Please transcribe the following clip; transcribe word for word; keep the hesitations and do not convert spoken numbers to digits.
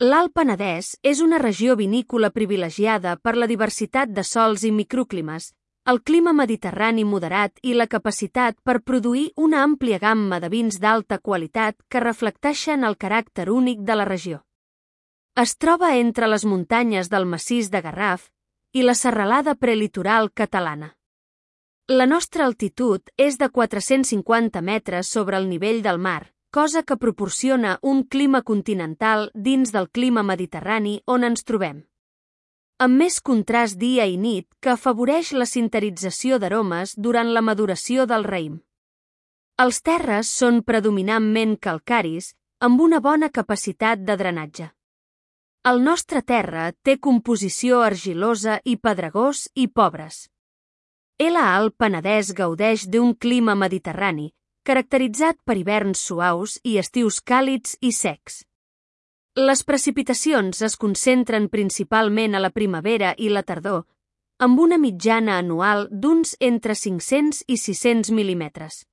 L'Alt Penedès és una regió vinícola privilegiada per la diversitat de sòls i microclimes, el clima mediterrani moderat i la capacitat per produir una àmplia gamma de vins d'alta qualitat que reflecteixen el caràcter únic de la regió. Es troba entre les muntanyes del massís de Garraf i la serralada prelitoral catalana. La nostra altitud és de quatre-cents cinquanta metres sobre el nivell del mar, cosa que proporciona un clima continental dins del clima mediterrani on ens trobem. Amb més contrast dia i nit que afavoreix la sinterització d'aromes durant la maduració del raïm. Els terres són predominantment calcaris, amb una bona capacitat de drenatge. El nostre terra té composició argilosa i pedregós i pobres. L'Alt Penedès gaudeix d'un clima mediterrani, caracteritzat per hiverns suaus i estius càlids i secs. Les precipitacions es concentren principalment a la primavera i la tardor, amb una mitjana anual d'uns entre cinc-cents i sis-cents mil·límetres.